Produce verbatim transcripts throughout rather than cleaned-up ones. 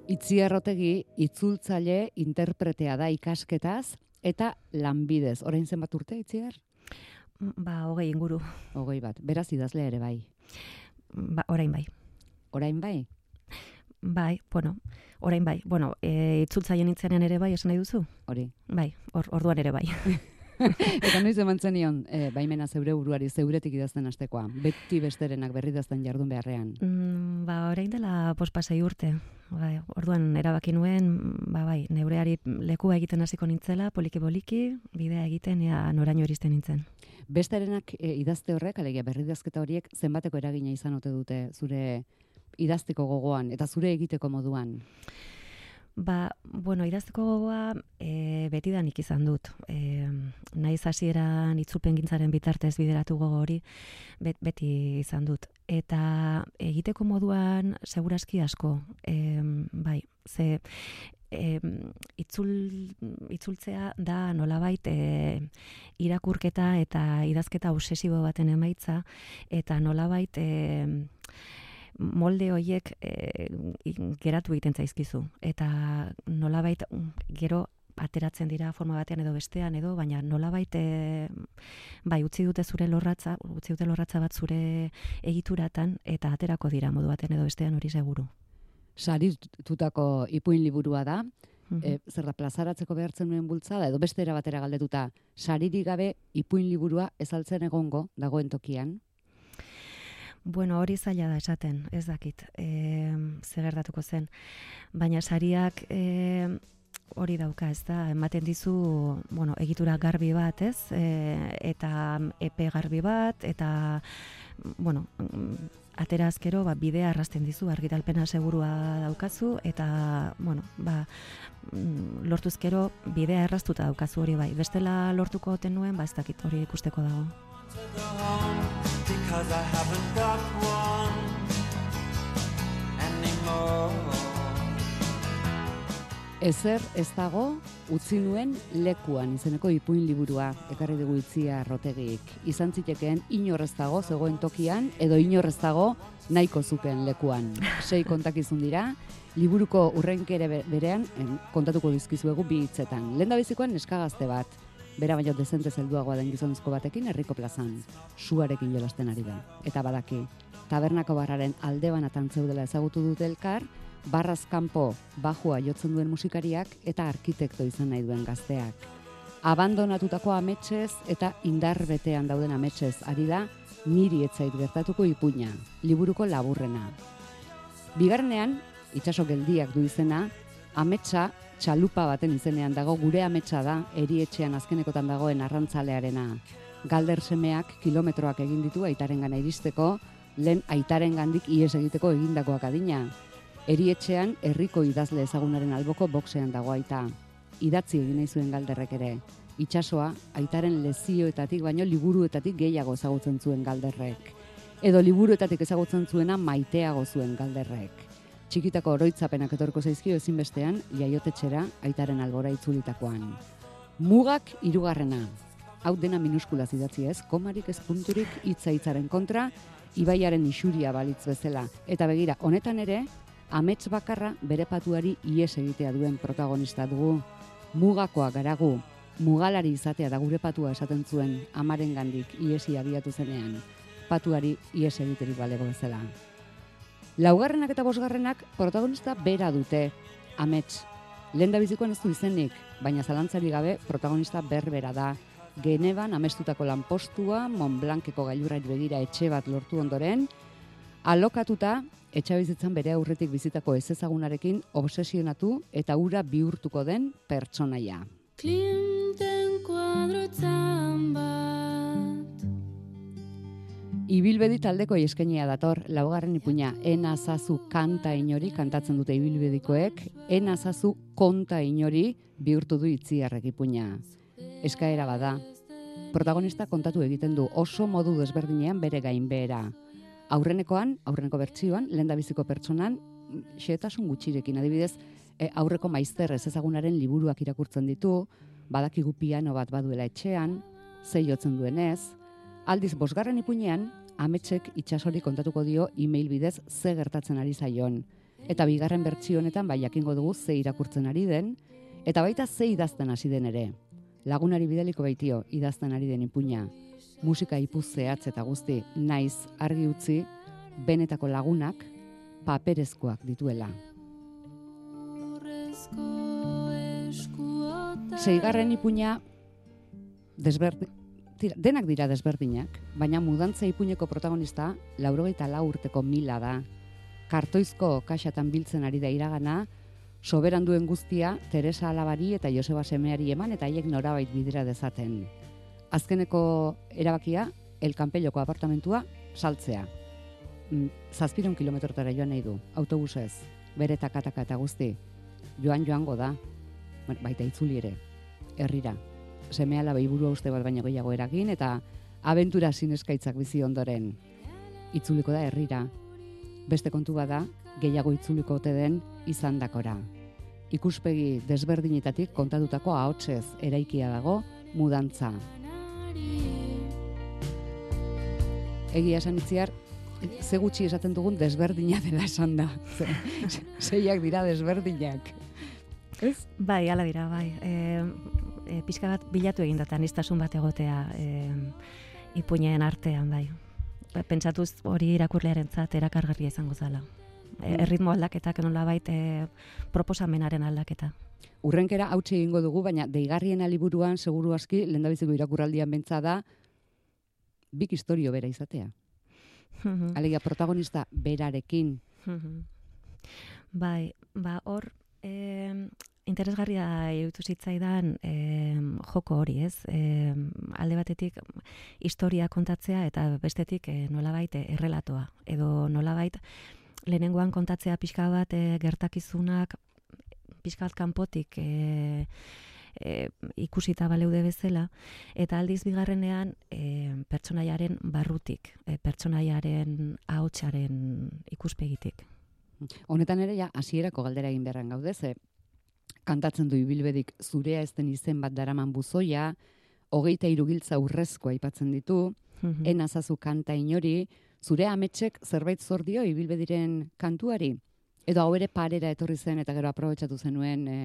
Itziar Otegi itzultzaile interpretea da ikasketaz eta lanbidez. Orain zenbat urte, Itziar? Ba, hogei inguru. Hogei bat. Beraz idazlea ere bai. Ba, orain bai. Orain bai? Bai, bueno, orain bai. Bueno, e, itzultzaile nintzenean ere bai, esan nahi duzu? Hori. Bai, or, orduan ere bai. Eta noiz eman zenion, e, baimena zeure buruari, zeuretik idazten hastekoa. Beti besterenak berri idazten jardun beharrean. Mm, ba, orain dela pospasei urte. Bai, orduan erabaki nuen, ba bai, neureari lekua egiten hasiko nintzela, poliki-poliki, bidea egiten, ea noraino iristen nintzen. Besterenak e, idazte horrek, alegia berri idazketa horiek, zenbateko eragina izan ote dute zure idazteko gogoan eta zure egiteko moduan? Ba, bueno, idazteko gogoa e, betidanik izan dut. E, naiz hasieran itzulpengintzaren bitartez bideratu gogo hori, bet, beti izan dut. Eta egiteko moduan segurazki asko, e, bai, ze e, itzul, itzultzea da nolabait e, irakurketa eta idazketa obsesibo baten emaitza, eta nolabait e, molde horiek e, geratu egiten zaizkizu. Eta nolabait gero ateratzen dira forma batean edo bestean edo, baina nolabait e, bai, utzi dute zure lorratza, utzi dute lorratza bat zure egituratan eta aterako dira modu batean edo bestean hori seguru. Saritutako ipuin liburua da, Mhm. e, zer da plazaratzeko behartzen nuen bultzada, edo beste era batera galdetuta, saririk gabe ipuin liburua ezaltzen egongo dagoen tokian? Bueno, hori zaila da esaten, ez dakit, e, ze gertatuko zen. Baina sariak e, hori dauka, ez da, ematen dizu, bueno, egitura garbi bat, ez? E, eta epe garbi bat, eta, bueno, atera azkero, ba, bidea arrasten dizu, argitalpena segurua daukazu, eta, bueno, ba, lortuzkero bidea erraztuta daukazu hori bai. Bestela lortuko oten nuen, ba, ez dakit, hori ikusteko dago. Because I haven't got one anymore. Ezer ez dago utzi nuen lekuan izeneko ipuin liburua ekarri dugu Itziar Otegik. Izan zitekeen inor ez dago zegoen tokian edo inor ez dago nahiko zuken lekuan. Sei kontakizun dira, liburuko urrenkere berean en, kontatuko dizkizuegu bi hitzetan. Lehendabizikoan neska gazte bat, bera baino dezente zelduagoa den gizonezko batekin herriko plazan, suarekin jolasten ari da. Eta badaki, tabernako barraren alde banatan zeudela ezagutu dute elkar, barraz kanpo bajua jotzen duen musikariak eta arkitekto izan nahi duen gazteak. Abandonatutako ametsez eta indar betean dauden ametsez ari da niri etzait gertatuko ipuina, liburuko laburrena. Bigarrenean, itsaso geldiak du izena, ametsa txalupa baten izenean dago, gure ametsa da, erietxean azkenekotan dagoen arrantzalearena. Galder semeak kilometroak egin ditu aitaren iristeko, lehen aitaren gandik ihes egiteko egindakoak adina. Erietxean herriko idazle ezagunaren alboko boxean dago aita. Idatzi egin nahi zuen Galderrek ere. Itsasoa aitaren lezioetatik baino liburuetatik gehiago ezagutzen zuen Galderrek. Edo liburuetatik ezagutzen zuena maiteago zuen Galderrek. Txikitako oroitzapenak etorko zaizkio ezinbestean jaiotetxera aitaren albora itzulitakoan. Mugak hirugarrena. Hau dena minuskulaz idatzi ez, komarik ez punturik hitza hitzaren kontra, ibaiaren isuria balitz bezala. Eta begira, honetan ere, amets bakarra bere patuari ihes egitea duen protagonista dugu. Mugakoa garagu, mugalari izatea da gure patua esaten zuen amaren gandik ihesi abiatu zenean. Patuari ihes egiterik balego bezala. Laugarrenak eta bosgarrenak protagonista bera dute, amets. Lehendabizikoan ez du izenik, baina zalantzari gabe protagonista berbera da. Geneban amestutako lanpostua, Montblanceko gailurrari begira etxe bat lortu ondoren, alokatuta etxabizitzan bere aurretik bizitako ezezagunarekin obsesionatu eta ura bihurtuko den pertsonaia. Klinten kuadroetan bat. Ibilbedi taldeko eskainia dator, laugarren ipuina, enazazu kanta inori kantatzen dute ibilbedikoek, enazazu konta inori bihurtu du Itziarrek ipuina. Eskaera bada. Protagonista kontatu egiten du oso modu desberdinean bere gainbehera. Aurrenekoan, aurreneko bertsioan, lehendabiziko pertsonan, xehetasun gutxirekin, adibidez, e, aurreko maizter ez ezagunaren liburuak irakurtzen ditu, badakigu piano bat baduela etxean, zei jotzen duenez. Aldiz, bosgarren ipuinean, ametsek itsasori kontatuko dio e-mail bidez ze gertatzen ari zaion. eta bigarren bertsio honetan bai jakingo dugu ze irakurtzen ari den, eta baita ze idazten hasi den ere. Lagunari bidaliko baitio idazten ari den ipuina, musika ipuz zehatz eta guzti naiz argi utzi, benetako lagunak paperezkoak dituela. Seigarren ipuina desberdin, tira, denak dira desberdinak, baina mudantza ipuineko protagonista laurogeita lau urteko Mila da. Kartoizko kaxatan biltzen ari da iragana, soberan duen guztia Teresa alabari eta Joseba semeari eman eta haiek norabait bidera dezaten. Azkeneko erabakia, El Campelloko apartamentua saltzea. Zazpiron kilometrotara joan nahi du, autobusez, bere takataka eta guzti. Joan joango da, baita itzuli ere, herrira. Seme alaba iburua uste bat baino gehiago eragin eta abentura zineskaitzak bizi ondoren. Itzuliko da herrira. Beste kontu bada, gehiago itzuliko ote den izandakora. Ikuspegi desberdinetatik kontatutako ahotsez eraikia dago mudantza. Egia esan itziar, ze gutxi esaten dugun desberdina dela esan da. Zeiak dira desberdinak. Ez? Bai, ala dira, bai. E, e, pixka bat bilatu egin data, niztasun bat egotea e, ipuinen artean, bai. Pentsatuz hori irakurlearentzat erakargarria izango zala. E, erritmo aldaketak nolabait e, proposamenaren aldaketa. Urrenkera hautsi egingo dugu, baina deigarrien liburuan seguru aski lehendabiziko irakurraldian bentsa da bik istorio bera izatea. Alegia protagonista berarekin. Bai, ba hor e, interesgarria iruditu zitzaidan e, joko hori, ez? E, alde batetik historia kontatzea eta bestetik e, nolabait e, errelatoa. Edo nolabait lehenengoan kontatzea pixka bat e, gertakizunak pixka bat kanpotik e, e, ikusita baleude bezala, eta aldiz bigarrenean e, pertsonaiaren barrutik, e, pertsonaiaren ahotsaren ikuspegitik. Honetan ere ja hasierako galdera egin beharran gaude, ze kantatzen du ibilbedik zurea ez den izen bat daraman buzoia, hogeita hiru giltza urrezko aipatzen ditu, mm-hmm. enazazu kanta inori, zure ametsek zerbait zor dio ibilbediren kantuari? Edo hau ere parera etorri zen eta gero aprobetxatu zenuen e,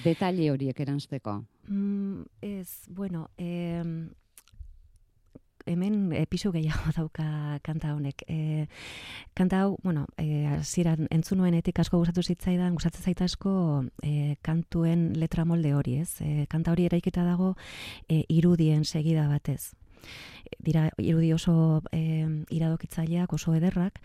detaile horiek eransteko? Mm, ez, bueno, e, hemen episo gehiago dauka kanta honek. E, kanta hau, bueno, e, hasieran entzunuenetik asko gustatu zitzaidan, gustatzen zait asko e, kantuen letra molde hori, ez? E, kanta hori eraikita dago e, irudien segida batez. Dira irudi oso e, iradokitzaileak, oso ederrak,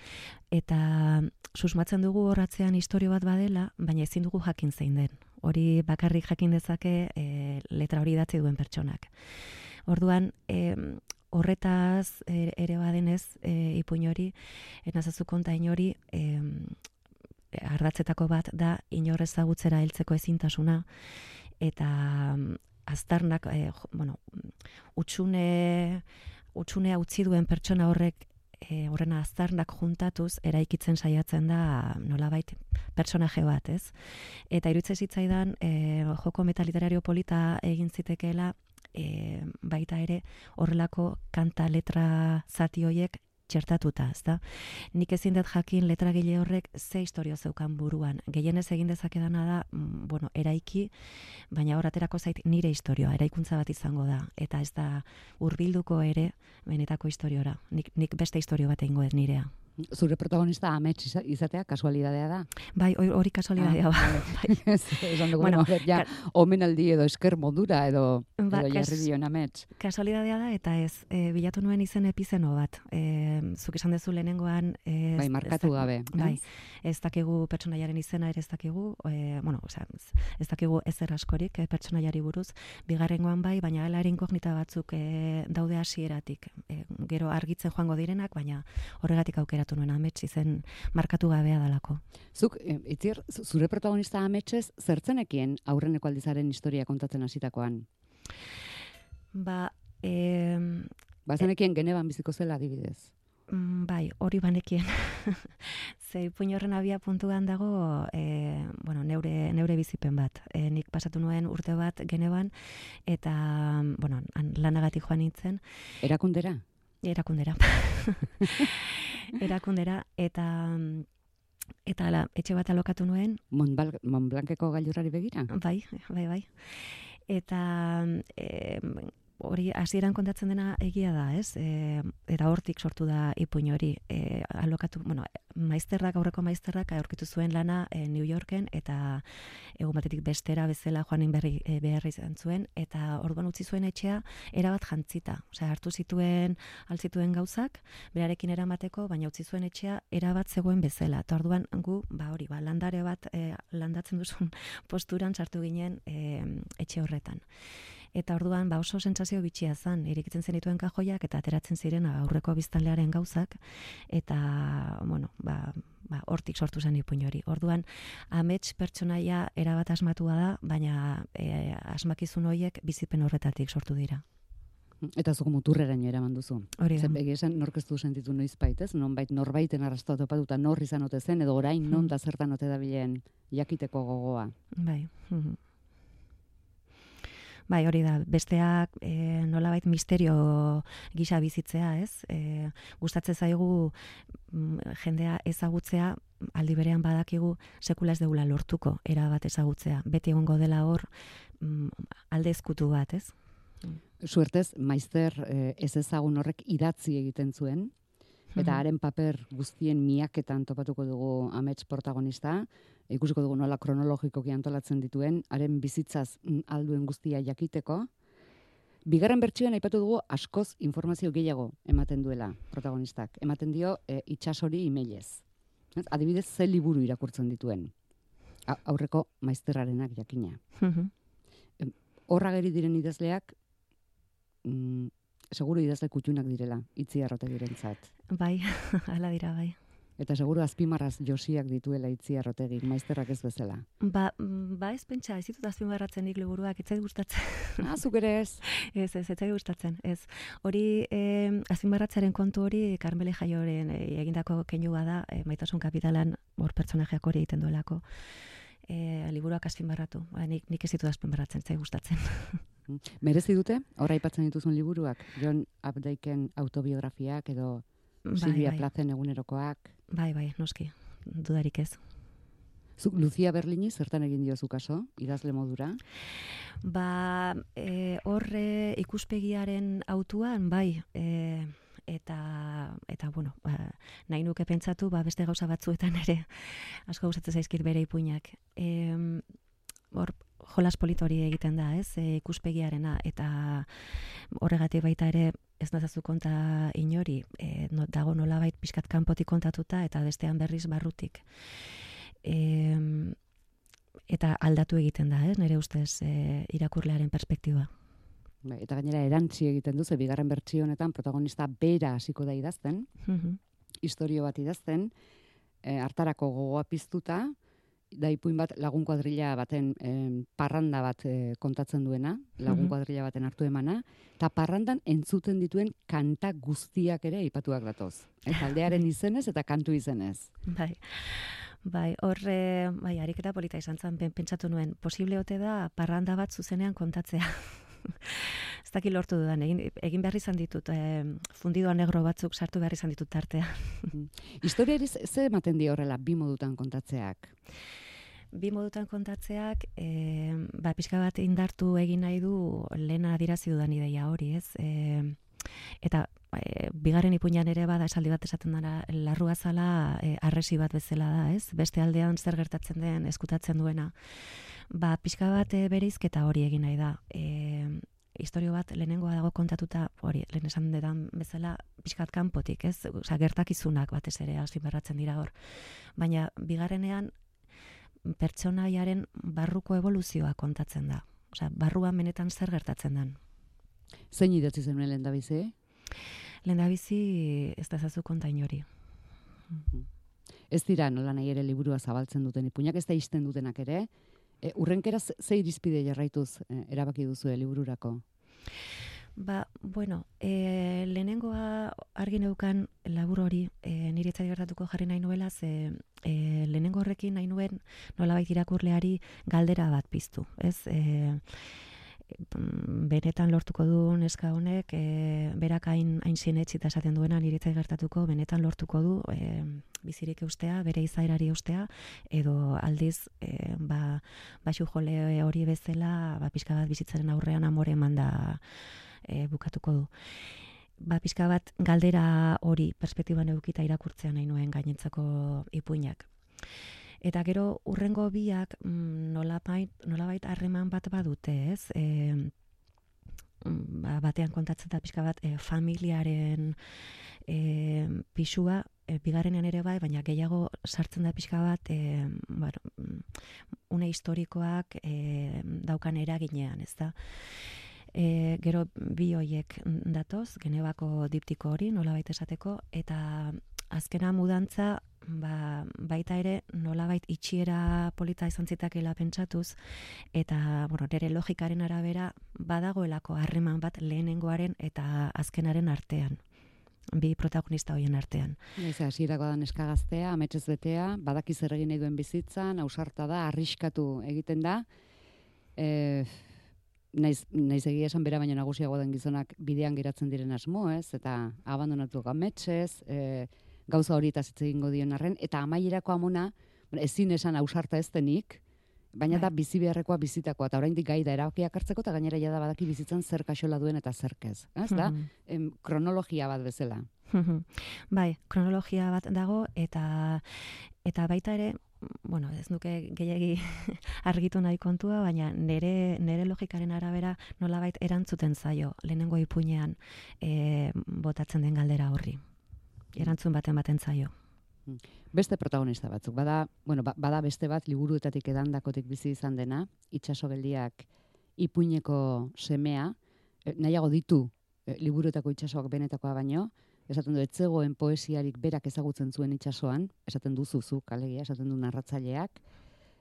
eta susmatzen dugu horratzean istorio bat badela, baina ezin dugu jakin zein den. Hori bakarrik jakin dezake e, letra hori idatzi duen pertsonak. Orduan, e, horretaz ere badenez e, ipuin hori, enazazu konta inori, e, ardatzetako bat da inor ezagutzera heltzeko ezintasuna, eta aztarnak, e, bueno, utxune, utxunea utzi duen pertsona horrek, e, horrena aztarnak juntatuz, eraikitzen saiatzen da nolabait personaje bat, ez? Eta iruditzen zitzaidan, e, joko metaliterario polita egin zitekeela, e, baita ere horrelako kanta letra zati horiek txertatuta, ezta? Nik ezin dut jakin letragile horrek ze istorio zeukan buruan. Gehienez egin dezakedana da, mm, bueno, eraiki, baina hor aterako zait nire istorioa, eraikuntza bat izango da, eta ez da hurbilduko ere benetako istoriora. Nik, nik beste istorio bat egingo dut nirea. Zure protagonista amets izatea kasualidadea da? Bai, hori kasualidadea ah, ba. Esan dugu, bueno, ja, omenaldi edo esker modura edo, ba, edo jarri dion amets. Kasualidadea da, eta ez, e, bilatu nuen izen epizeno bat. E, zuk esan dezu lehenengoan... Ez, bai, markatu ez, gabe. Bai, ez dakigu pertsonaiaren izena ere ez dakigu, e, bueno, osea, ez dakigu ezer askorik e, pertsonaiari buruz, bigarrengoan bai, baina hala ere inkognita batzuk e, daude hasieratik. E, gero argitzen joango direnak, baina horregatik aukera nuen amets izen markatu gabea dalako. Zuk, e, itziar, zure protagonista ametsez zertzenekien aurreneko aldizaren historia kontatzen hasitakoan? Ba, e, ba zenekien e, Geneban biziko zela adibidez? Bai, hori banekien. Ze ipuin horren abia puntuan dago, e, bueno, neure, neure bizipen bat. E, nik pasatu nuen urte bat Geneban, eta, bueno, lanagatik joan nintzen. Erakundera? Erakundera. Erakundera, eta Eta ala, etxe bat alokatu nuen. Montbal- Montblanceko gailurrari begira? Bai, bai, bai. Eta e, hori hasieran kontatzen dena egia da, ez? E, eta hortik sortu da ipuin hori. E, alokatu, bueno, maizterrak, aurreko maizterrak aurkitu zuen lana e, New Yorken, eta egun batetik bestera bezala joanin berri e, behar izan zuen, eta orduan utzi zuen etxea erabat jantzita. Osea, hartu zituen, altzituen gauzak, berarekin eramateko, baina utzi zuen etxea erabat zegoen bezala. Eta orduan gu, ba hori, ba, landare bat e, landatzen duzun posturan sartu ginen e, etxe horretan. Eta orduan ba oso sentsazio bitxia zen, irekitzen zenituen kajoiak eta ateratzen ziren aurreko biztanlearen gauzak, eta bueno, ba, ba hortik sortu zen ipuin hori. Orduan amets pertsonaia erabat asmatua da, baina e, asmakizun horiek bizipen horretatik sortu dira. Eta zuko muturreraino eraman duzu. Hori da. Zer egia esan nork ez du sentitu noizbait, ez? Nonbait norbaiten arrastoa topatuta nor izan ote zen, edo orain non da zertan ote dabilen jakiteko gogoa. Bai. Mhm. Bai, hori da, besteak e, nolabait misterio gisa bizitzea, ez? E, gustatzen zaigu m, jendea ezagutzea, aldi berean badakigu sekula ez deula lortuko erabat ezagutzea. Beti egongo dela hor m, alde ezkutu bat, ez? Suertez, maizter eh, ez ezagun horrek idatzi egiten zuen, eta haren paper guztien miaketan topatuko dugu amets protagonista, ikusiko dugu nola kronologikoki antolatzen dituen, haren bizitzaz alduen guztia jakiteko. Bigarren bertsioan aipatu dugu askoz informazio gehiago ematen duela protagonistak. Ematen dio e, itsasori emailez. Ez? Adibidez, ze liburu irakurtzen dituen. A, aurreko maizterrarenak jakina. Horra geri diren idazleak, mm, seguru idazle kutxunak direla, Itziar Otegirentzat. Bai, hala dira, bai. Eta seguru azpimarraz josiak dituela Itziar Otegik, maizterrak ez bezala. Ba, ba ez pentsa, ez ditut azpimarratzen nik liburuak, ez zait gustatzen. Ah, zuk ere ez. Ez, ez, ez zait gustatzen, ez. Hori, eh, azpimarratzaren kontu hori, Karmele Jaioren eh, egindako keinua da, eh, Maitasun Kapitalan hor pertsonajeak hori egiten duelako. Eh, liburuak azpimarratu, ba, nik, nik ez ditut azpimarratzen, ez zait gustatzen. Merezi dute, horra aipatzen dituzun liburuak, John Updike'n autobiografiak edo Bai, Silvia bai. Plazen egunerokoak. Bai, bai, noski, dudarik ez. Zuk Lucia Berlini zertan egin diozu kaso, idazle modura? Ba, e, horre ikuspegiaren autuan, bai, e, eta, eta bueno, ba, nahi nuke pentsatu, ba, beste gauza batzuetan ere, asko gustatzen zaizkit bere ipuinak. E, hor, jolas politori egiten da, ez, e, ikuspegiarena, eta horregatik baita ere, ez nazazu konta inori, e, no, dago nolabait pixkat kanpotik kontatuta, eta bestean berriz barrutik. E, eta aldatu egiten da, ez, nire ustez e, irakurlearen perspektiba. Bai, eta gainera erantzi egiten duzu, bigarren bertsio honetan protagonista bera hasiko da idazten, Mhm. istorio bat idazten, e, hartarako gogoa piztuta, da ipuin bat lagun kuadrilla baten em, parranda bat e, kontatzen duena, lagun Mhm. kuadrilla baten hartu emana, eta parrandan entzuten dituen kanta guztiak ere aipatuak datoz. E, taldearen izenez eta kantu izenez. Bai. Bai, horre, bai, ariketa polita izan zen, pen- pentsatu nuen, posible ote da parranda bat zuzenean kontatzea. Ez daki lortu dudan, egin, egin behar izan ditut, eh, fundidoa negro batzuk sartu behar izan ditut tartea. Historiari ze ze ematen dio horrela bi modutan kontatzeak? Bi modutan kontatzeak, e, ba, pixka bat indartu egin nahi du lehena adirazi dudan ideia hori, ez? E, eta e, bigarren ipuinan ere bada esaldi bat esaten dara, larrua zala e, arresi bat bezala da, ez? Beste aldean zer gertatzen den eskutatzen duena. Ba, pixka bat e, bereizketa hori egin nahi da. E, Historio bat lehenengoa dago kontatuta, hori, lehen esan dedan bezala, pixkat kanpotik, ez? Osea, gertakizunak batez ere azpimarratzen dira hor. Baina bigarrenean pertsonaiaren barruko evoluzioa kontatzen da. Osea, barruan benetan zer gertatzen den. Zein idatzi zenuen lehendabizi? Lehendabizi ez da zazu konta inori. Ez dira nola nahi ere liburua zabaltzen duten ipuinak, ez da isten dutenak ere. E, urrenkera ze ze irizpide jarraituz e, erabaki duzue libururako? Ba, bueno, e, lehenengoa argi neukan labur hori, e, nire etzai gertatuko jarri nahi nuela, ze e, lehenengo horrekin nahi nuen nolabait irakurleari galdera bat piztu, ez? E, benetan lortuko du neska honek, e, berak hain, hain sinetsita esaten duena niritzai gertatuko, benetan lortuko du e, bizirik eustea, bere izaerari eustea, edo aldiz, e, ba, baxu jole hori bezala, ba, pixka bat bizitzaren aurrean amore manda e, bukatuko du. Ba, pixka bat galdera hori perspektiban eukita irakurtzea nahi nuen gainentzako ipuinak. Eta gero urrengo biak nolabait nolabait harreman bat badute, ez? E, ba, batean kontatzen da pixka bat e, familiaren e, pisua, e, bigarrenean ere bai, baina gehiago sartzen da pixka bat e, bueno, une historikoak e, daukan eraginean, ez da? E, gero bi hoiek datoz, Genebako diptiko hori, nolabait esateko, eta azkena mudantza, ba, baita ere nolabait itxiera polita izan zitakela pentsatuz, eta bueno, nire logikaren arabera badagoelako harreman bat lehenengoaren eta azkenaren artean, bi protagonista horien artean. Ez, hasierako da neska gaztea, ametsez betea, badaki zer egin nahi duen bizitzan, ausarta da, arriskatu egiten da, e, naiz, naiz egia esan bera baino nagusiago den gizonak bidean geratzen diren asmo, ez, eta abandonatu ametsez, e, gauza hori eta hitz egingo dion arren, eta amaierako amona, ezin esan ausarta ez denik, baina da bizi beharrekoa bizitakoa, eta oraindik gai da erabakiak hartzeko, eta gainera ja da badaki bizitzan zer kaxola duen eta zerkez. Ez da? Em, kronologia bat bezala. Bai, kronologia bat dago, eta eta baita ere, bueno, ez nuke gehiagi argitu nahi kontua, baina nere, nere logikaren arabera nolabait erantzuten zaio, lehenengo ipuinean e, botatzen den galdera horri. Erantzun baten baten zaio. Beste protagonista batzuk. Bada, bueno, bada beste bat liburuetatik edandakotik bizi izan dena, itsasogeldiak ipuineko semea, e, nahiago ditu e, liburuetako itsasoak benetakoa baino, esaten du etzegoen poesiarik berak ezagutzen zuen itsasoan, esaten duzuzuk, alegia, esaten du narratzaileak.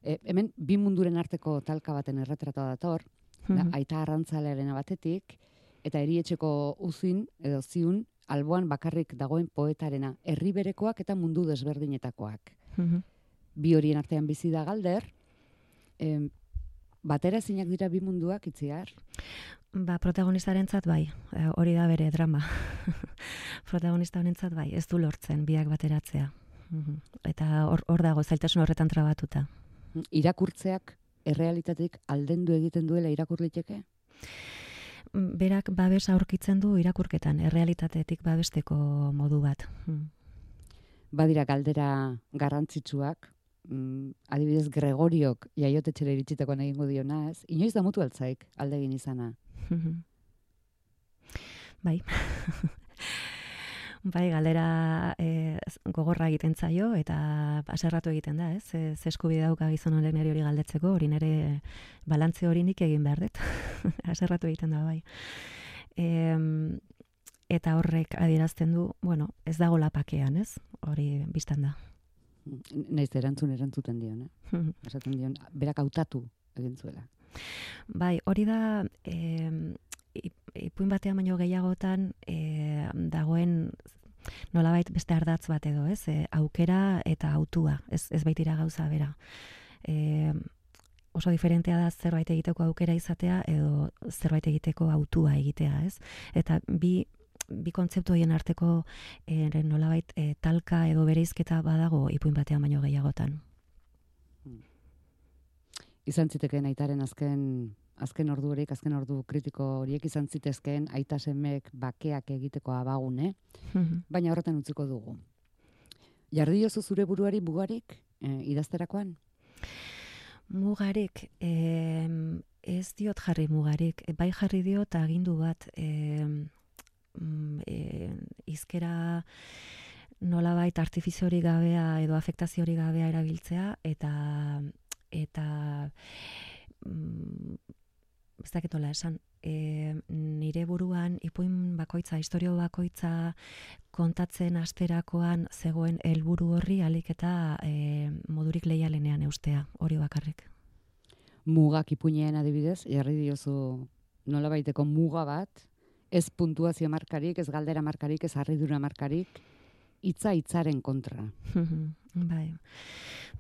E, hemen bi munduren arteko talka baten erretratoa dator, da, aita arrantzalearen batetik, eta erietxeko uzin edo ziun alboan bakarrik dagoen poetarena, herri berekoak eta mundu desberdinetakoak. Mhm. Bi horien artean bizi da Galder, em, batera ezinak dira bi munduak itziar? Ba, protagonistarentzat bai, e, hori da bere drama. Protagonista honentzat bai, ez du lortzen biak bateratzea. Mhm. Eta hor, hor dago zailtasun horretan trabatuta. Irakurtzeak errealitatetik aldendu egiten duela irakur liteke? Berak babes aurkitzen du irakurketan, errealitatetik babesteko modu bat. Hmm. Badira galdera garrantzitsuak, mm, adibidez Gregoriok jaiotetxera iritsitakoan egingo diona, ez? Inoiz damutu altzaik aldegin izana. Bai. Bai, galdera e, gogorra egiten zaio eta haserratu egiten da, ez? Ez eskubide dauka gizon honek niri hori galdetzeko, hori nire balantze hori nik egin behar dut. Haserratu egiten da, bai. E, eta horrek adierazten du, bueno, ez dago lapakean, ez? Hori biztan da. Naiz erantzun erantzuten dion, eh? Esaten dion, berak hautatu egin zuela. Bai, hori da... E, ipuin batean baino gehiagotan e, dagoen nolabait beste ardatz bat edo, ez? E, aukera eta hautua, ez, ez baitira gauza bera. E, oso diferentea da zerbait egiteko aukera izatea edo zerbait egiteko hautua egitea, ez? Eta bi, bi kontzeptu horien arteko e, nolabait e, talka edo bereizketa badago ipuin batean baino gehiagotan. Izan zitekeen aitaren azken azken ordu horiek, azken ordu kritiko horiek izan zitezkeen aita semeek bakeak egiteko abagune, baina horretan utziko dugu. Jarri diozu zure buruari mugarik e, idazterakoan? Mugarik, e, ez diot jarri mugarik, bai jarri diot agindu bat, e, e, izkera nolabait artifiziori gabea edo afektaziori gabea erabiltzea, eta eta mm, ez dakitola esan, e, nire buruan ipuin bakoitza, historio bakoitza kontatzen asterakoan zegoen helburu horri alik eta e, modurik leialenean eustea, hori bakarrik. Mugak ipuinean adibidez, jarri diozu nolabaiteko muga bat, ez puntuazio markarik, ez galdera markarik, ez harridura markarik, hitza hitzaren kontra. Bai.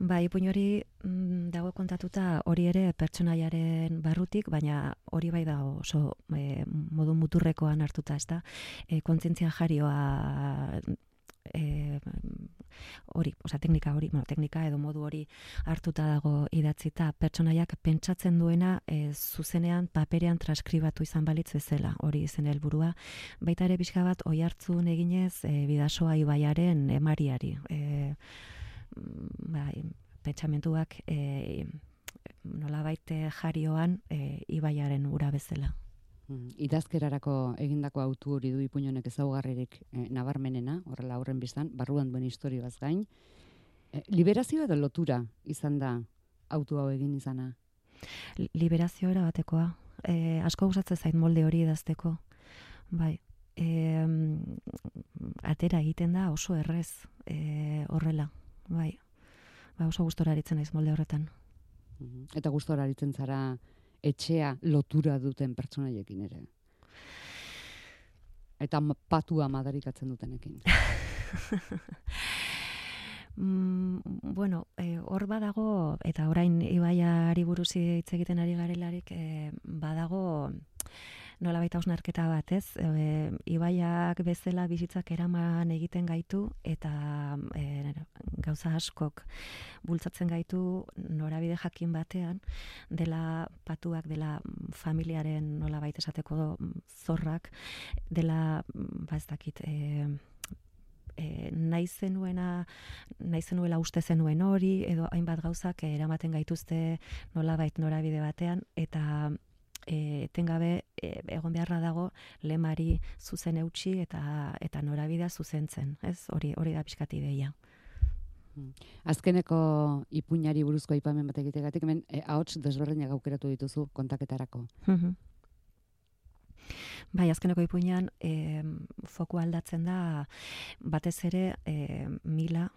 Bai, ipuin hori mm, dago kontatuta hori ere pertsonaiaren barrutik, baina hori bai dago oso e, modu muturrekoan hartuta, ezta? E, kontzientzia jarioa e, hori, osea teknika hori, bueno, teknika edo modu hori hartuta dago idatzita, pertsonaiak pentsatzen duena e, zuzenean paperean transkribatu izan balitz bezala, hori izen helburua. Baita ere pixka bat oihartzun eginez e, Bidasoa ibaiaren emariari. E, bai, pentsamentuak e, nolabait jarioan e, ibaiaren ura bezala. Idazkerarako egindako autu hori du ipuin honek ezaugarririk e, nabarmenena, horrela horren biztan, barruan duen istorioaz gain. E, liberazio edo lotura izan da autu hau egin izana? Liberazio era batekoa. E, asko gustatzen zait molde hori idazteko. Bai. E, atera egiten da oso errez e, horrela. Bai, ba, oso gustora aritzen naiz molde horretan. Eta gustora aritzen zara etxea lotura duten pertsonaiekin ere? Eta patua madarikatzen dutenekin? mm, bueno, e, hor badago, eta orain ibaiari buruz hitz egiten ari garelarik, e, badago nolabait hausnarketa bat, ez? E, ibaiak bezala bizitzak eraman egiten gaitu eta e, gauza askok bultzatzen gaitu norabide jakin batean, dela patuak, dela familiaren nolabait esateko zorrak, dela, ba ez dakit, e, e, nahi zenuena, nahi zenuela uste zenuen hori, edo hainbat gauzak eramaten gaituzte nolabait norabide batean, eta E, tengabe e, egon beharra dago lemari zuzen eutxi eta eta norabidea zuzentzen, ez? Hori hori da pixkat ideia. Azkeneko ipuinari buruzko aipamen bat egitegatik, hemen e, ahots desberdinak aukeratu dituzu kontaketarako. Bai, azkeneko ipuinean e, foku aldatzen da batez ere e, Mila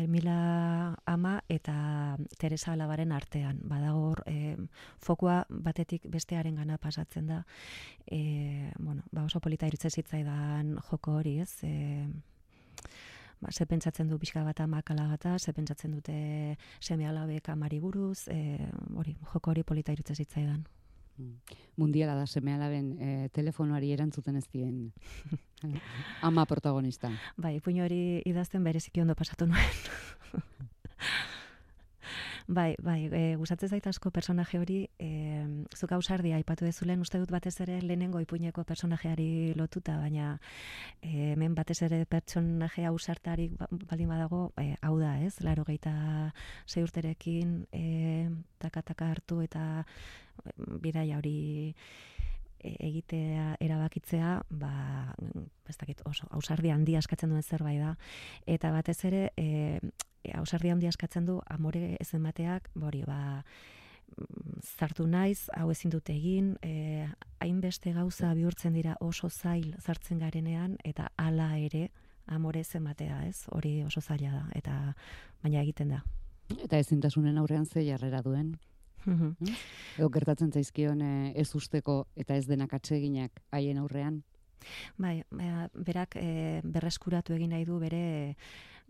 Mila ama eta Teresa alabaren artean. Badago e, fokua batetik bestearen gana pasatzen da. E, bueno, ba oso polita iruditzen zitzaidan joko hori, ez? E, ba, ze pentsatzen du pixka bat amak alabata, ze pentsatzen dute seme alabek amari buruz, e, hori, joko hori polita iruditzen zitzaidan. Mundiala da seme alaben e, telefonoari erantzuten ez dien ama protagonista. Bai, ipuin hori idazten bereziki ondo pasatu nuen. Bai, bai, e, gustatzen zait asko personaje hori, e, zuk ausardia aipatu dezulen, uste dut batez ere lehenengo ipuineko personajeari lotuta, baina e, hemen batez ere personaje ausartarik baldin badago, e, hau da, ez? Laurogeita sei urterekin e, taka-taka hartu eta bidaia hori egitea erabakitzea, ba, ez dakit, oso ausardia handia eskatzen duen zerbait da, eta batez ere e, ausardia handia eskatzen du amore ez emateak, hori, ba, zartu naiz, hau ezin dute egin, e, hainbeste gauza bihurtzen dira oso zail zartzen garenean, eta hala ere amore ez ematea, ez? Hori oso zaila da, eta baina egiten da. Eta ezintasunen aurrean ze jarrera duen? Mhm. Edo gertatzen zaizkion e, ez usteko eta ez denak atseginak haien aurrean? Bai, berak e, berreskuratu egin nahi du bere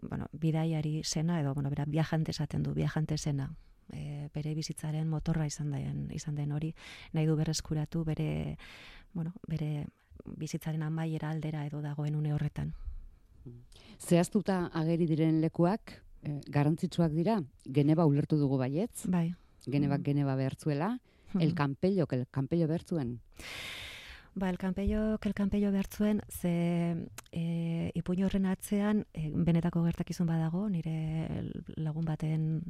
bueno, bidaiari sena, edo bueno, berak viajante esaten du, viajante sena. E, bere bizitzaren motorra izan den, izan den hori, nahi du berreskuratu bere, bueno, bere bizitzaren amaiera aldera edo dagoen une horretan. Zehaztuta ageri diren lekuak e, garrantzitsuak dira, Geneva ulertu dugu baietz. Bai. Genebak Geneva behartzuela, el Campello, el Campello behartzuen. Ba, el Campello, el Campello behartzuen, ze e, ipuin horren atzean e, benetako gertakizun badago, nire lagun baten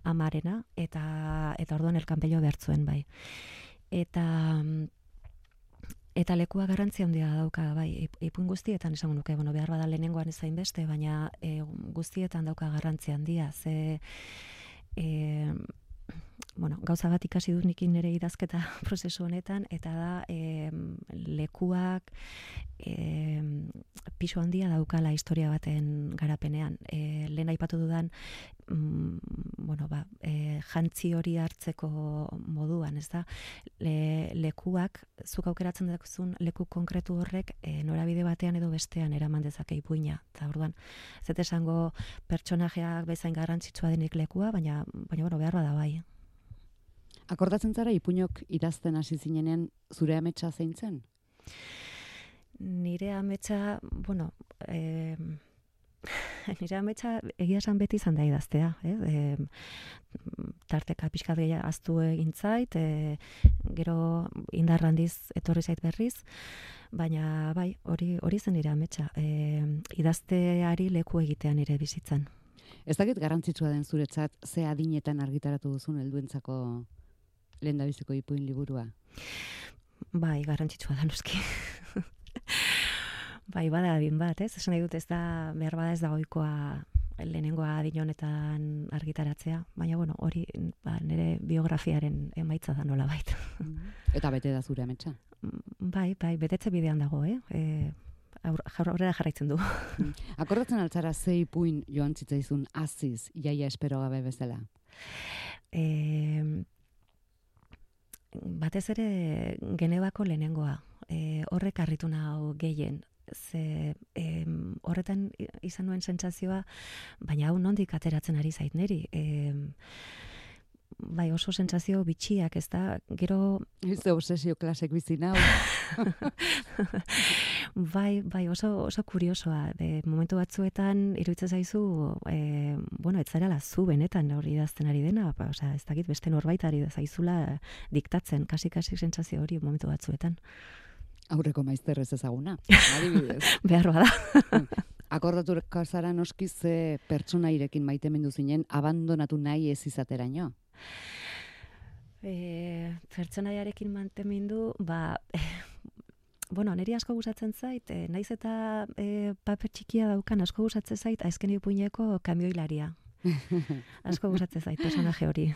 amarena, eta eta orduan el Campello behartzuen, bai. Eta eta lekua garrantzia handia dauka, bai, ipuin guztietan esango nuke, bueno, behar bada lehenengoan ezain beste, baina e, guztietan dauka garrantzia handia, ze e, bueno, gauza bat ikasi dut nikin nire idazketa prozesu honetan, eta da e, lekuak e, pisu handia daukala historia baten garapenean. E, lehen aipatu dudan, mm, bueno, ba, e, jantzi hori hartzeko moduan, ez da? Le, lekuak, zuk aukeratzen duzun leku konkretu horrek e, norabide batean edo bestean eraman dezake ipuina. Eta orduan, ez dut esango pertsonajeak bezain garrantzitsua denik lekua, baina, baina bueno, behar bada bai. Akordatzen zara ipuinok idazten hasi zinenean zure ametsa zein zen? Nire ametsa, bueno, eh, nire ametsa egia esan beti izan da idaztea. Eh? E, tarteka pixkat gehiago aztu egin zait, e, gero indar handiz etorri zait berriz, baina bai, hori hori zen nire ametsa. E, idazteari leku egitea nire bizitzan. Ez dakit garrantzitsua den zuretzat ze adinetan argitaratu duzun helduentzako lehendabiziko ipuin liburua? Bai, garrantzitsua da noski. Bai, bada adin bat, ez? Esan nahi dut ez da, behar bada ez da ohikoa lehenengoa adin honetan argitaratzea, baina bueno, hori ba, nire biografiaren emaitza da nola bait. Eta bete da zure ametsa? Bai, bai, betetze bidean dago, eh? E, aurrera jarraitzen du. Akordatzen altzara ze ipuin joan zitzaizun aziz, jaia espero gabe bezala? E, batez ere Genebako lehenengoa. E, horrek harritu nau gehien. Ze e, horretan izan nuen sentsazioa, baina hau nondik ateratzen ari zait niri. E, bai, oso sentsazio bitxiak, ez da, gero... Ze obsesio klasek bizi nau. Bai, bai, oso, oso kuriosoa. E, momentu batzuetan, iruditzen zaizu, e, bueno, ez zarela zu benetan hori idazten ari dena, ba, osea, ez dakit beste norbait ari zaizula diktatzen, kasi-kasi sentsazio hori momentu batzuetan. Aurreko maizter ez ezaguna, adibidez. Behar bada. Akordatuko zara noski ze pertsonairekin maitemendu zinen abandonatu nahi ez izateraino? E, pertsonaiarekin mantemindu, ba, e, bueno, niri asko gustatzen zait, e, naiz eta e, paper txikia daukan asko gustatzen zait, azken ipuineko kamioilaria. Asko gustatzen zait personaje hori.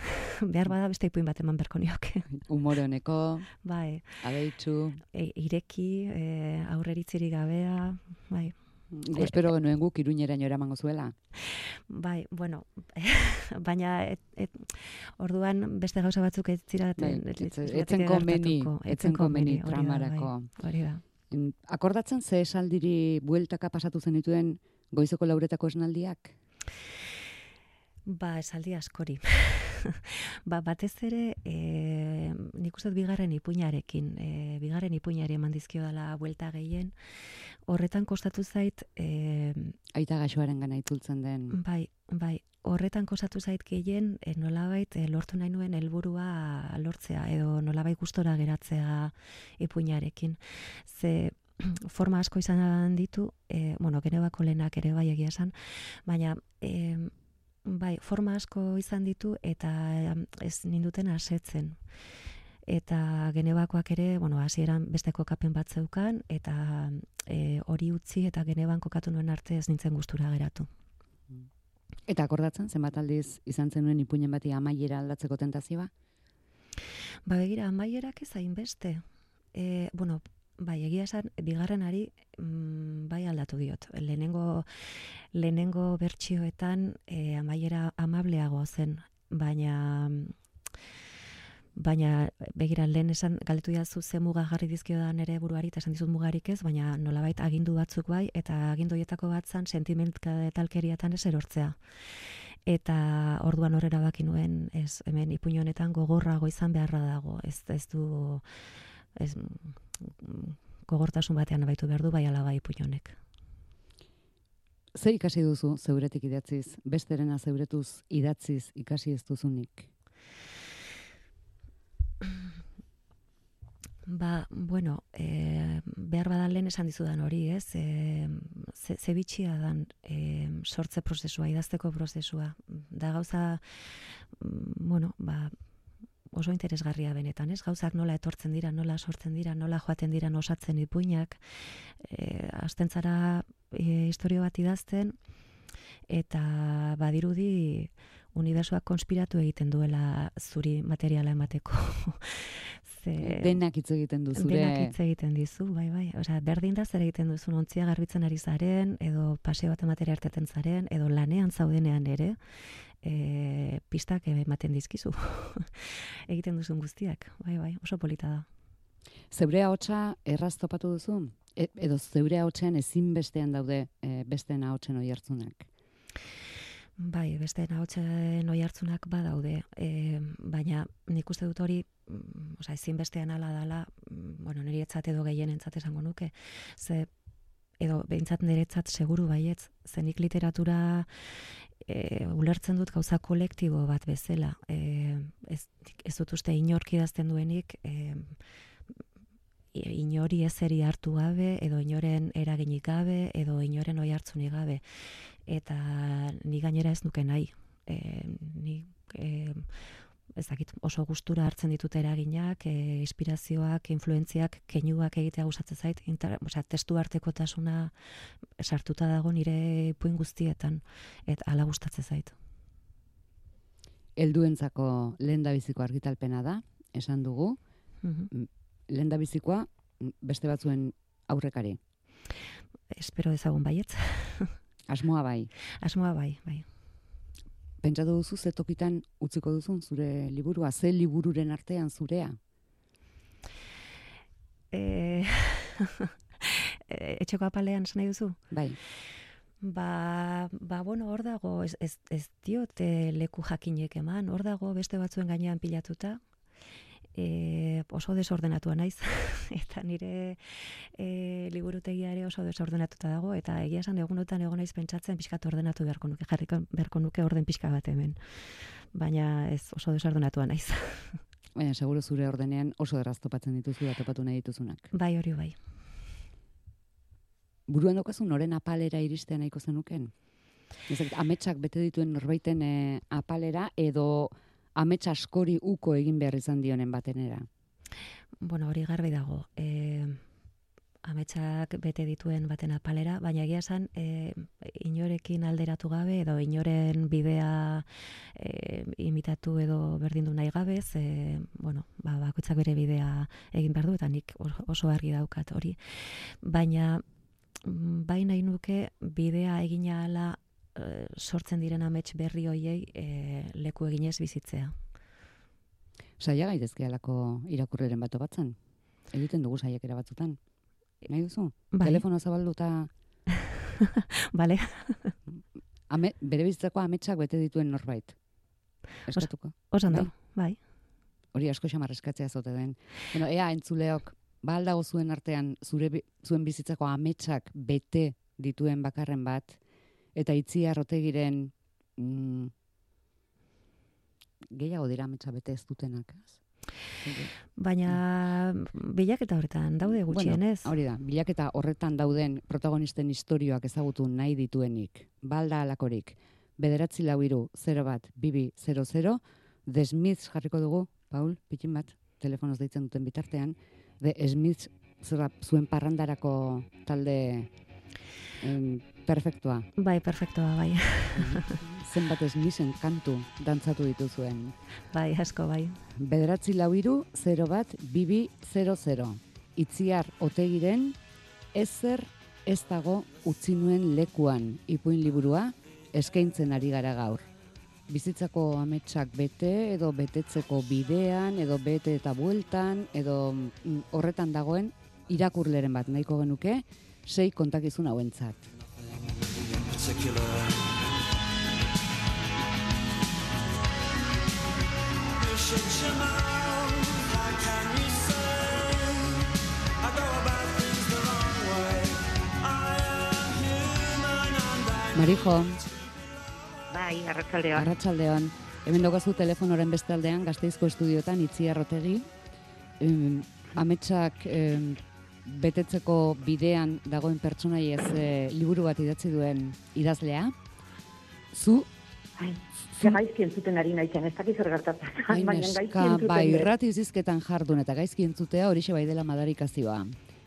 Behar bada beste ipuin bat eman berko nioke. Humore honeko, bai. abeitsu, e, ireki, e, aurreritzirik gabea, bai. Espero genuen guk Iruñeraino eramango zuela. Bai, bueno, baina et, et, orduan beste gauza batzuk ez ziraten... Bai, etzen komeni, etzen komeni tramarako. Hori da. Akordatzen ze esaldiri bueltaka pasatu zenituen goizeko lauretako esnaldiak? Ba, esaldi askori. Ba, batez ere, e, nik uste dut bigarren ipuinarekin, e, bigarren ipuinari eman dizkio dela buelta gehien, horretan kostatu zait... E, Aita gaxoaren gana itzultzen den. Bai, bai, horretan kostatu zait gehien, e, nolabait e, lortu nahi nuen helburua lortzea, edo nolabait gustora geratzea ipuinarekin. Ze forma asko izan ditu, e, bueno, Genebako lehenak ere bai egia esan, baina... E, Bai, forma asko izan ditu eta ez ninduten asetzen. Eta Genebakoak ere, bueno, hasieran beste kokapen bat zeukan, eta e, hori utzi eta Geneban kokatu nuen arte ez nintzen gustura geratu. Eta akordatzen, zenbat aldiz izan zenuen ipuinen bati amaiera aldatzeko tentazioa? Ba, begira, amaierak ez hainbeste. E, bueno, bai, egia esan, bigarrenari mm, bai aldatu diot. Lehenengo, lehenengo bertsioetan e, amaiera amableago zen, baina baina begira lehen esan galdetu diazu ze muga jarri dizkiodan ere buruari eta esan dizut mugarik ez, baina nolabait agindu batzuk bai, eta agindu horietako bat zan sentimentalkeriatan ez erortzea. Eta orduan horrela baki nuen, ez, hemen ipuin honetan gogorrago izan beharra dago, ez, ez du... Ez, gogortasun batean abaitu behar du bai ala bai ipuin honek. Zer ikasi duzu zeuretik idatziz, besterena zeuretuz idatziz ikasi ez duzunik? Ba, bueno, e, behar badan lehen esan dizudan hori, ez? E, ze, ze bitxia dan e, sortze prozesua, idazteko prozesua. Da gauza, bueno, ba, oso interesgarria benetan, ez? Gauzak nola etortzen dira, nola sortzen dira, nola joaten dira osatzen ipuinak, e, hasten zara e, historio bat idazten, eta badirudi unibertsuak konspiratu egiten duela zuri materiala emateko. Ze, denak hitz egiten du zure... Denak hitz egiten dizu, bai, bai. Osea, berdin da zer egiten duzun, ontzia garbitzen ari zaren, edo paseo bat ematera erteten zaren, edo lanean zaudenean ere, e, pistak ematen dizkizu. Egiten duzun guztiak, bai, bai, oso polita da. Zeure ahotsa erraz topatu duzu? E, edo zeure ahotsean ezinbestean daude e, besteen ahotsen oihartzunak? Bai, beste ahotsen oihartzunak badaude, e, baina nik uste dut hori, osea, ezinbestean hala dala, bueno, niretzat edo gehienentzat esango nuke, ze edo behintzat niretzat seguru baietz, zenik literatura e, ulertzen dut gauza kolektibo bat bezala. E, ez, ez dut uste inork idazten duenik, e, inori ezeri hartu gabe, edo inoren eraginik gabe, edo inoren oihartzunik gabe. Eta ni gainera ez nuke nahi. E, ni e, ez dakit, oso gustura hartzen ditut eraginak, e, inspirazioak, influentziak, keinuak egitea gustatzen zait, inter, osea, testu artekotasuna sartuta dago nire ipuin guztietan, eta hala gustatzen zait. Helduentzako lehendabiziko argitalpena da, esan dugu, Mhm. lehendabizikoa beste batzuen aurrekari. Espero dezagun baietz. Asmoa bai. Asmoa bai, bai. Pentsatu duzu ze tokitan utziko duzun zure liburua, ze libururen artean zurea? E... Etxeko apalean esan nahi duzu? Bai. Ba, ba, bueno, hor dago, ez, ez, ez diote leku jakinek eman, hor dago beste batzuen gainean pilatuta, e, oso desordenatua naiz, eta nire e, liburutegia ere oso desordenatuta dago, eta egia esan egunotan egon naiz pentsatzen pixkat ordenatu beharko nuke, jarriko beharko nuke orden pixka bat hemen, baina ez oso desordenatua naiz. Baina, seguro zure ordenean oso erraz topatzen dituzu da topatu nahi dituzunak. Bai, hori bai. Buruan daukazu noren apalera iristea nahiko zenuken? Ezak, ametsak bete dituen norbaiten e, apalera edo amets askori uko egin behar izan dionen batenera? Bueno, hori garbi dago. E, ametsak bete dituen baten apalera, baina egia esan e, inorekin alderatu gabe edo inoren bidea e, imitatu edo berdindu nahi gabe, e, bueno, ba, bakoitzak bere bidea egin behar du, eta nik oso argi daukat hori. Baina bai nahi nuke bidea egina ala e, sortzen diren amets berri hoiei e, leku eginez bizitzea. Saia gaitezke alako irakurreren bat batzen. Egiten dugu saiakera batzutan. Nahi duzu? Bai. Telefono zabalduta Bale. ame, bere bizitzako ametsak bete dituen norbait. Eskatuko. Osan da, bai. Hori asko xamar eskatzea zote den. Bueno, ea entzuleok, ba aldago zuen artean zure bi- zuen bizitzako ametsak bete dituen bakarren bat, eta Itziar Otegiren mm, gehiago dira ametsa bete ez dutenak. Ez? Baina bilaketa horretan daude gutxienez. Bueno, hori da, bilaketa horretan dauden protagonisten istorioak ezagutu nahi dituenik. Balda alakorik, bederatzi lau hiru zero bat bibi zero zero, The Smiths jarriko dugu, Paul, pikin bat, telefonoz deitzen duten bitartean, The Smiths zera, zuen parrandarako talde em, perfektua. Bai, perfektoa, bai. Zenbat Smithen kantu dantzatu dituzuen. Bai, asko, bai. Bederatzi lau hiru zero bat bibi zero zero. Itziar Otegiren ezer ez dago utzi nuen lekuan ipuin liburua eskaintzen ari gara gaur. Bizitzako ametsak bete edo betetzeko bidean edo bete eta bueltan edo mm, horretan dagoen irakurleren bat nahiko genuke sei kontakizun hauentzat. Marijo, Bai, arratsaldean. arratsaldean, hemen daukazu telefonoren beste aldean Gasteizko estudiotan Itziar Otegi, em, ametsak em, betetzeko bidean dagoen pertsonaiez e, liburu bat idatzi duen idazlea. Zu, Ai, ze gaizki entzuten ari naizen, ez dakit zer gertatzen. hain Baina gaizki eska, entzuten bai, dut. irrati zizketan jardun eta gaizki entzutea horixe bai dela madarikazioa.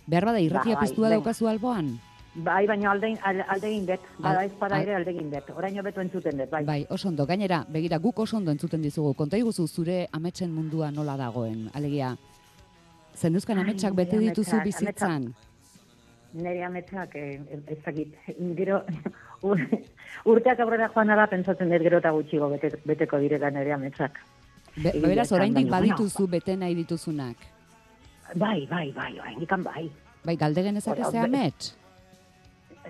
Behar bada irratia Ba, bai, piztua venga. daukazu alboan? Bai, baina alde, alde egin dut. Bada Al- ez bada al- ere alde egin dut. Oraino beto entzuten dut, bai. Bai, oso ondo. Gainera, begira, guk oso ondo entzuten dizugu. Konta iguzu zure ametsen mundua nola dagoen. Alegia, Zenuzkan ametsak Ai, bete nire dituzu ametsak, bizitzan? Nire ametsak, eh, ez dakit, gero, ur- urteak aurrera joan da, pentsatzen dut gero eta gutxigo bete, beteko direla nire ametsak. Be, Egia beraz, esan, oraindik baina, badituzu bete nahi dituzunak. Bai, bai, bai, oraindikan bai. Bai, galde genezake Ora, ze be- amets?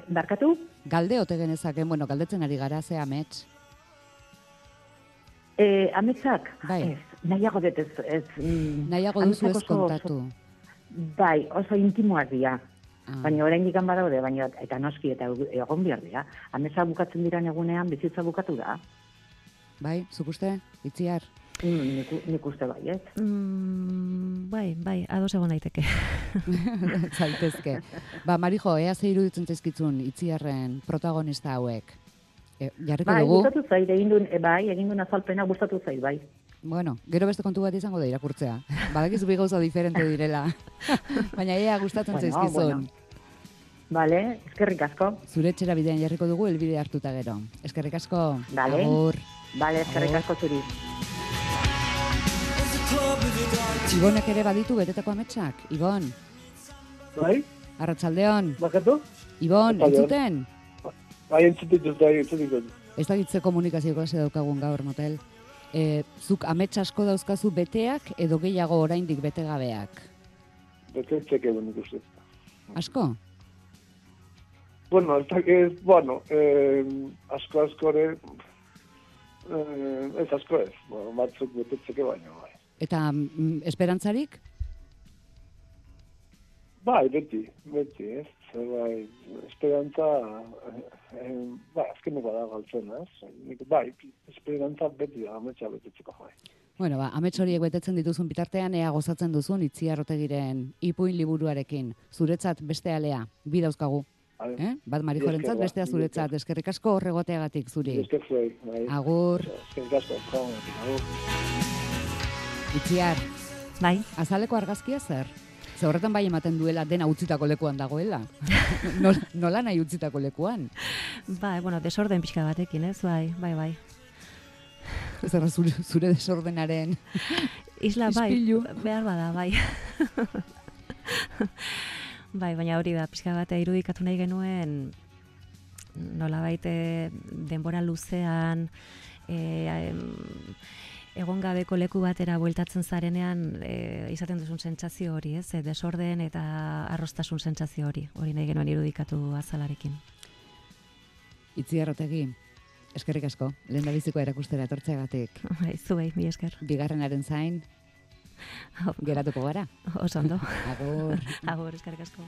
Barkatu? Galde ote genezake, bueno, galdetzen ari gara ze amets. Eh, ametsak? Bai. Ez, nahiago dut ez. ez mm, Nahiago duzu ametsak ez oso- kontatu. oso- Bai, oso intimoak dira. Ah. Baina oraindik badaude, baina eta noski eta egon behar dira. Ametsa bukatzen diran egunean bizitza bukatu da. Bai, zuk uste, Itziar? Mm, nik, nik uste bai, ez? Mm, bai, bai, ados egon daiteke. Zaitezke. Ba, Marijo, ea ze iruditzen zaizkitzun Itziarren protagonista hauek. E, jarriko Bai, dugu. gustatu zait, egin duen, e, bai, egin duen azalpena gustatu zait, bai. Bueno, gero beste kontu bat izango da irakurtzea. Badakizu bi gauza diferente direla. Baina ea gustatzen Bueno, zaizkizun. bueno. Vale, eskerrik asko. Zure etxera bidean jarriko dugu helbide hartuta gero. Eskerrik asko. Vale. Agur. Vale, eskerrik Agur. asko zuri. Ibonek ere baditu betetako ametsak. Ibon, Bai, arratsaldeon. bakatu? Ibon, Arratsaldeon. entzuten? Bai, entzutik dut, bai, entzutik dut. Ez dakitze komunikazio klase daukagun gaur motel. E, zuk amets asko dauzkazu beteak edo gehiago oraindik betegabeak? Betetzek egun ikusten. Asko? Bueno, ez dakit, bueno, eh, asko askore, eh, ez asko ez, bueno, batzuk betetzeke baino, bai. Eta mm, esperantzarik? Bai, beti, beti, ez? Zer, bai, esperantza, eh, eh, bai, azkeneko da galtzen, ez? Nik, bai, esperantza beti da, ametsa betetzeko, bai. Bueno, ba, amets horiek betetzen dituzun bitartean ea gozatzen duzun Itziar Otegiren ipuin liburuarekin. Zuretzat beste alea, bi dauzkagu. Bai, Eh? Bat Marijorentzat, Esker, ba, bestea zuretzat. Eskerrik asko horregoteagatik zuri. esker zuei, bai. Agur, Eskerrik asko, jaun, agur. Itziar, Bai, azaleko argazkia zer? Ze horretan bai ematen duela dena utzitako lekuan dagoela. Nola, nola nahi utzitako lekuan? bai, bueno, desorden pixka batekin, ez? Bai, bai, bai. Zer zure, zure desordenaren Isla, bai, Ispilu. behar bada, bai. Bai, baina hori da, pixka bat irudikatu nahi genuen nolabait eh, denbora luzean eh, em, egon gabeko leku batera bueltatzen zarenean eh, izaten duzun sentsazio hori, ez? Eh, desorden eta arrostasun sentsazio hori, hori nahi genuen irudikatu azalarekin. Itziar Otegi, eskerrik asko, lehen bizikoa erakustera etortzeagatik. Bai, zuei, mi esker. Bigarrenaren zain, geratuko gara. Oso ondo. Agur. Agur, eskerrik asko.